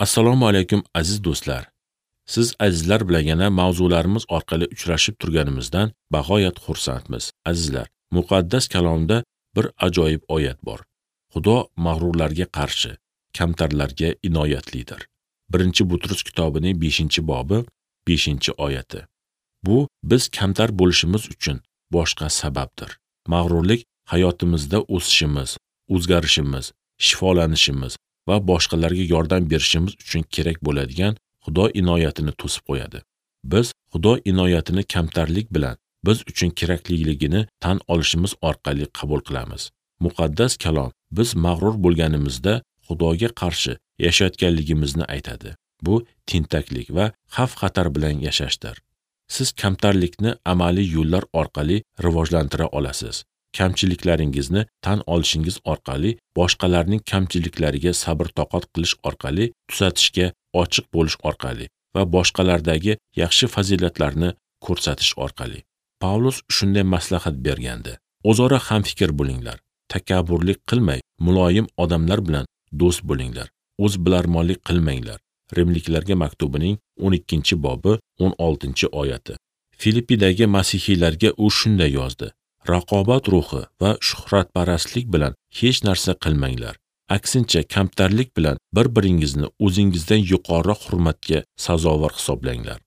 Assalomu alaykum aziz do'stlar. Siz azizlar bilan yana mavzularimiz orqali uchrashib turganimizdan bag'oyat xursandmiz. Azizlar, muqaddas kalomda bir ajoyib oyat bor. Xudo mag'rurlarga qarshi, kamtarlarga inoyatlidir. 1-Butrus kitobining 5-bobi 5-oyati. Bu biz kamtar bo'lishimiz uchun boshqa sababdir. Mag'rurlik hayotimizda o'sishimiz, o'zgarishimiz, shifolanishimiz va boshqalarga yordam berishimiz uchun kerak bo'ladigan Xudo inoyatini to'sib qo'yadi. Biz Xudo inoyatini kamtarlik bilan biz uchun kerakliligini tan olishimiz orqali qabul qilamiz. Muqaddas kalom biz mag'rur bo'lganimizda Xudoga qarshi yashayotganligimizni aytadi. Bu tentaklik va xavf-xatar bilan yashashdir. Siz kamtarlikni amaliy yo'llar orqali rivojlantira olasiz. Kamchiliklaringizni tan olishingiz orqali, boshqalarning kamchiliklariga sabr-toqat qilish orqali, tuzatishga ochiq bo'lish orqali va boshqalardagi yaxshi fazilatlarni ko'rsatish orqali. Pavlus shunday maslahat bergandi: O'zaro hamfikr bo'linglar, takabburlik qilmay, muloyim odamlar bilan do'st bo'linglar, o'z bilarmonlik qilmanglar. Rimliklarga maktubining 12-bobi 16-oyati. Filippidagi masihiylarga u shunday yozdi: Raqobat ruhi va shuhratparastlik bilan hech narsa qilmanglar. Aksincha kamtarlik bilan bir-biringizni o'zingizdan yuqoriroq hurmatga sazovor hisoblanglar.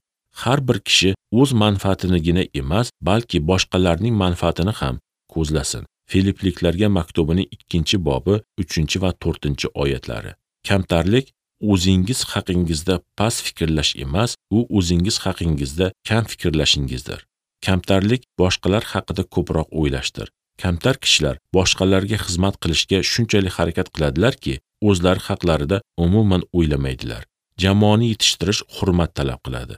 Har bir kishi o'z manfaatinigina emas, balki boshqalarning manfaatini ham ko'zlasin. Filipliklarga maktubining 2-bobi 3 va 4-oyatlari. Kamtarlik o'zingiz haqingizda past fikrlash emas, u o'zingiz haqingizda kam fikrlashingizdir. Kamtarlik boshqalar haqida ko'proq o'ylashdir. Kamtar kishilar boshqalarga xizmat qilishga shunchalik harakat qiladilarki, o'zlari haqlarida umuman o'ylamaydilar. Jamoani yetishtirish hurmat talab qiladi.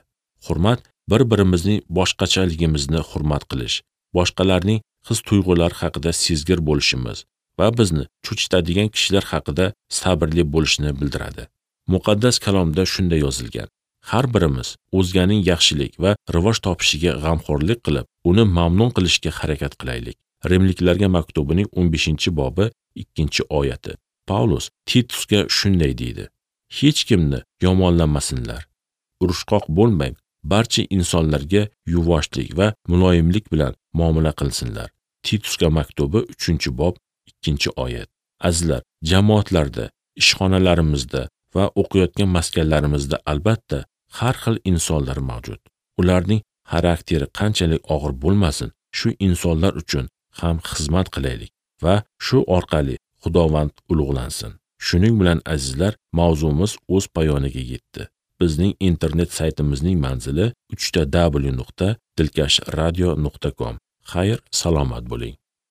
Hurmat bir-birimizning boshqachaligimizni hurmat qilish, boshqalarning his-tuyg'ulari haqida sezgir bo'lishimiz va bizni cho'chitadigan kishilar haqida sabrli bo'lishni bildiradi. Muqaddas kalomda shunday yozilgan: Har birimiz o'zganing yaxshilik va rivoj topishiga g'amxo'rlik qilib, uni mamnun qilishga harakat qilaylik. Rimliklarga maktubining 15-bobi 2-oyati. Pavlus Titusga shunday deydi: Hech kimni yomonlamasinlar. Urushqoq bo'lmang, barcha insonlarga yuvoshlik va muloyimlik bilan muomala qilsinlar. Titusga maktubi 3-bob 2-oyat. Azizlar, jamoatlarda, ishxonalarimizda va o'qiyotgan maskanlarimizda albatta har xil insonlar mavjud. Ularning xarakteri qanchalik og'ir bo'lmasin, shu insonlar uchun ham xizmat qilaylik va shu orqali Xudovand ulug'lansin. Shuning bilan azizlar, mavzumiz o'z poyoniga yetdi. Bizning internet saytimizning manzili www.dilkashradio.com. Xayr, salomat bo'ling.